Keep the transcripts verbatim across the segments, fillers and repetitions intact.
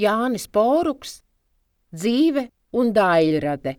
Jānis Poruks, dzīve un daļrade.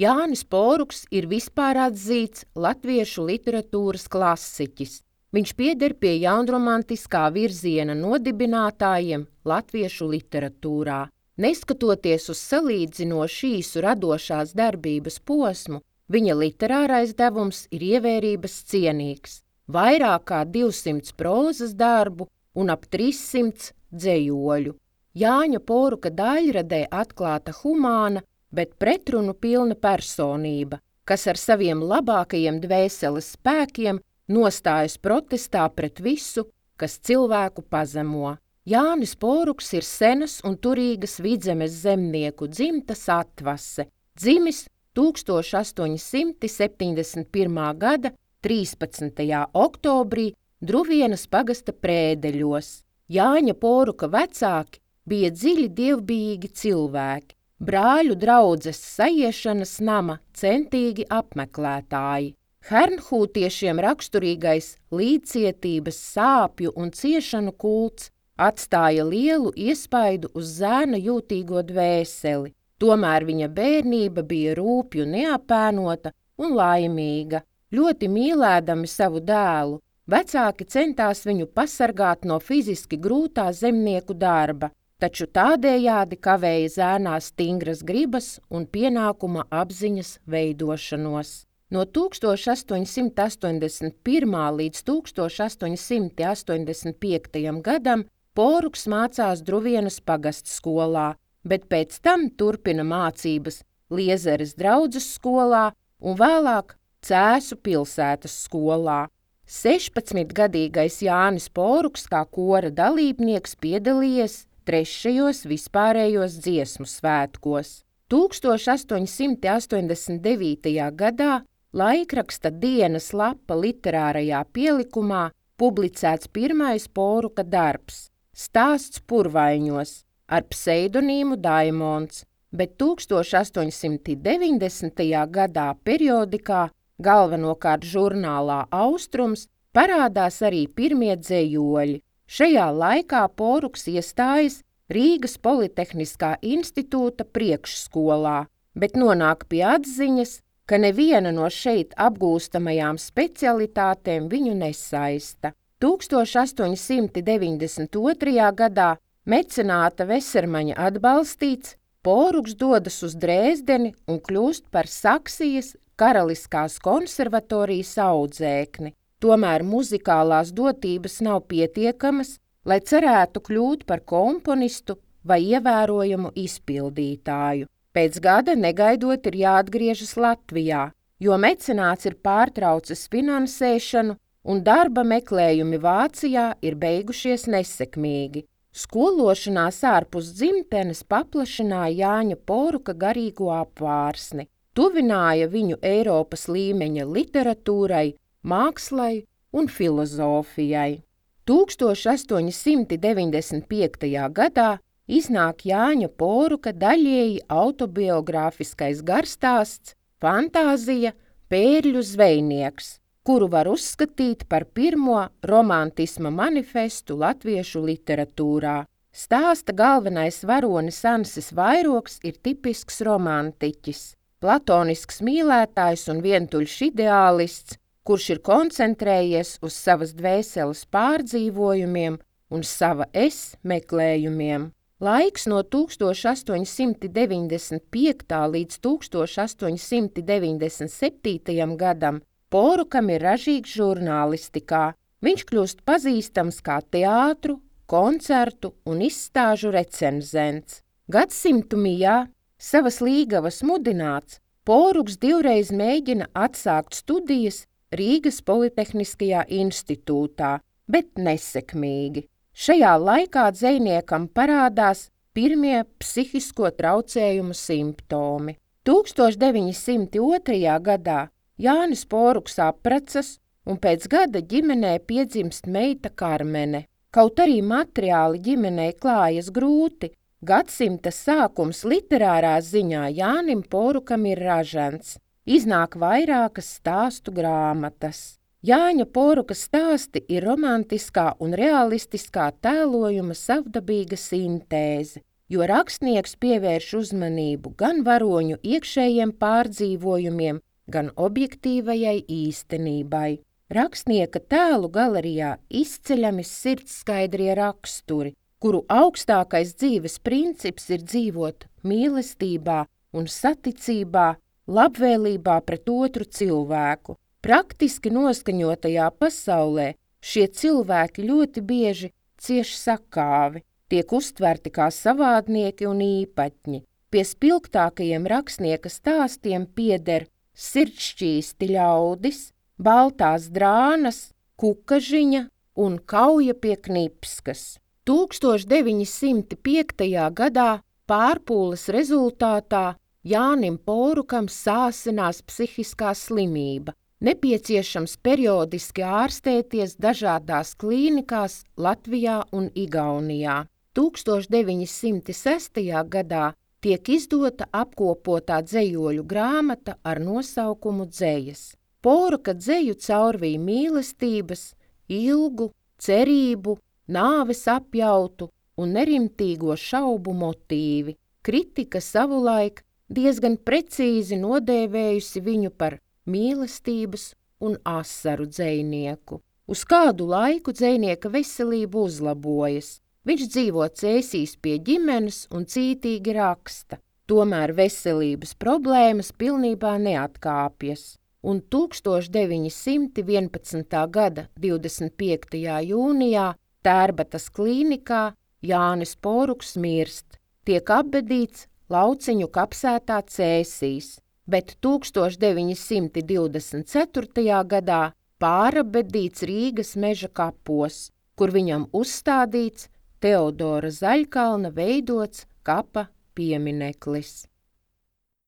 Jānis Poruks ir vispār atzīts latviešu literatūras klasiķis. Viņš pieder pie jaunromantiskā virziena nodibinātājiem latviešu literatūrā. Neskatoties uz salīdzinoši īsu radošās darbības posmu, viņa literārais devums ir ievērības cienīgs. Vairāk kā divsimts prózas darbu un ap trīssimts dzejoļu. Jāņa Poruka daļradē atklāta humāna, bet pretrunu pilna personība, kas ar saviem labākajiem dvēseles spēkiem nostājas protestā pret visu, kas cilvēku pazemo. Jānis Poruks ir senas un turīgas Vidzemes zemnieku dzimtas atvase, dzimis tūkstoš astoņi simti septiņdesmit pirmā gada trīspadsmitajā oktobrī Druvienas pagasta Prēdeļos. Jāņa Poruka vecāki bija dziļi dievbijīgi cilvēki, brāļu draudzes sajiešanas nama centīgi apmeklētāji. Hernhūtiešiem raksturīgais līdzcietības, sāpju un ciešanu kults atstāja lielu iespaidu uz zēna jūtīgo dvēseli, tomēr viņa bērnība bija rūpju neapēnota un laimīga. Ļoti mīlēdami savu dēlu, vecāki centās viņu pasargāt no fiziski grūtā zemnieku darba, taču tādējādi kavēja zēnā stingras gribas un pienākuma apziņas veidošanos. No tūkstoš astoņi simti astoņdesmit pirmā līdz tūkstoš astoņi simti astoņdesmit piektajam gadam Poruks mācās Druvienas pagastskolā, bet pēc tam turpina mācības Liezeres draudzes skolā un vēlāk Cēsu pilsētas skolā. sešpadsmitgadīgais Jānis Poruks kā kora dalībnieks piedalījies trešajos vispārējos dziesmu svētkos. tūkstoš astoņi simti astoņdesmit devītajā gadā laikraksta Dienas lapa literārajā pielikumā publicēts pirmais Poruka darbs – Stāsts purvaiņos ar pseidonīmu Daimons, bet tūkstoš astoņi simti deviņdesmitajā gadā periodikā, galvenokārt žurnālā Austrums, parādās arī pirmie dzejoļi. Šajā laikā Poruks iestājas Rīgas Politehniskā institūta priekšskolā, bet nonāk pie atziņas, ka neviena no šeit apgūstamajām specialitātēm viņu nesaista. tūkstoš astoņi simti deviņdesmit otrajā gadā mecenāta Vesermaņa atbalstīts, Poruks dodas uz Dresdeni un kļūst par Saksijas Karaliskās konservatorijas audzēkni. Tomēr muzikālās dotības nav pietiekamas, lai cerētu kļūt par komponistu vai ievērojamu izpildītāju. Pēc gada negaidot ir jāatgriežas Latvijā, jo mecenāts ir pārtraucis finansēšanu un darba meklējumi Vācijā ir beigušies nesekmīgi. Skološanās ārpus dzimtenes paplašināja Jāņa Poruka garīgo apvārsni, tuvināja viņu Eiropas līmeņa literatūrai, mākslai un filozofijai. tūkstoš astoņi simti deviņdesmit piektajā gadā iznāk Jāņa Poruka daļēji autobiogrāfiskais garstāsts Fantāzija Pērļu zvejnieks, kuru var uzskatīt par pirmo romantisma manifestu latviešu literatūrā. Stāsta galvenais varonis Ansis Vairoks ir tipisks romantiķis, platonisks mīlētājs un vientuļš ideālists, kurš ir koncentrējies uz savas dvēseles pārdzīvojumiem un sava es meklējumiem. Laiks no tūkstoš astoņi simti deviņdesmit piektā līdz tūkstoš astoņi simti deviņdesmit septītajam gadam Porukam ir ražīgs žurnālistikā. Viņš kļūst pazīstams kā teātru, koncertu un izstāžu recenzents. Gadsimtu mijā, savas līgavas mudināts, Poruks divreiz mēģina atsākt studijas Rīgas Politehniskajā institūtā, bet nesekmīgi. Šajā laikā dzejniekam parādās pirmie psihisko traucējumu simptomi. tūkstoš deviņi simti otrajā gadā Jānis Poruks apprecas un pēc gada ģimenē piedzimst meita Karmene. Kaut arī materiāli ģimenei klājas grūti, gadsimta sākums literārā ziņā Jānim Porukam ir ražants. Iznāk vairākas stāstu grāmatas. Jāņa Poruka stāsti ir romantiskā un realistiskā tēlojuma savdabīga sintēze, jo rakstnieks pievērš uzmanību gan varoņu iekšējiem pārdzīvojumiem, gan objektīvajai īstenībai. Rakstnieka tēlu galerijā izceļami sirdskaidrie raksturi, kuru augstākais dzīves princips ir dzīvot mīlestībā un saticībā, labvēlībā pret otru cilvēku. Praktiski noskaņotajā pasaulē šie cilvēki ļoti bieži cieš sakāvi, tiek uztverti kā savādnieki un īpatņi. Pie spilgtākajiem rakstnieka stāstiem pieder Sirdšķīsti ļaudis, Baltās drānas, Kukažiņa un Kauja pie Knipskas. tūkstoš deviņi simti piektajā gadā pārpūles rezultātā Jānim Porukam sāsinās psihiskā slimība, nepieciešams periodiski ārstēties dažādās klīnikās Latvijā un Igaunijā. tūkstoš deviņi simti sestajā gadā tiek izdota apkopotā dzejoļu grāmata ar nosaukumu Dzejas. Poruka dzeju caurvīja mīlestības, ilgu, cerību, nāves apjautu un nerimtīgo šaubu motīvi. Kritika savulaik diezgan precīzi nodēvējusi viņu par mīlestības un asaru dzejnieku. Uz kādu laiku dzejnieka veselība uzlabojas. Viņš dzīvo Cēsīs pie ģimenes un cītīgi raksta, tomēr veselības problēmas pilnībā neatkāpjas. Un tūkstoš deviņi simti vienpadsmitā gada divdesmit piektajā jūnijā Tērbatas klīnikā Jānis Poruks mirst, tiek apbedīts Lauciņu kapsētā Cēsīs, bet tūkstoš deviņi simti divdesmit ceturtajā gadā pārabedīts Rīgas Meža kapos, kur viņam uzstādīts Teodora Zaļkalna veidots kapa piemineklis.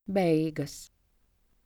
Beigas.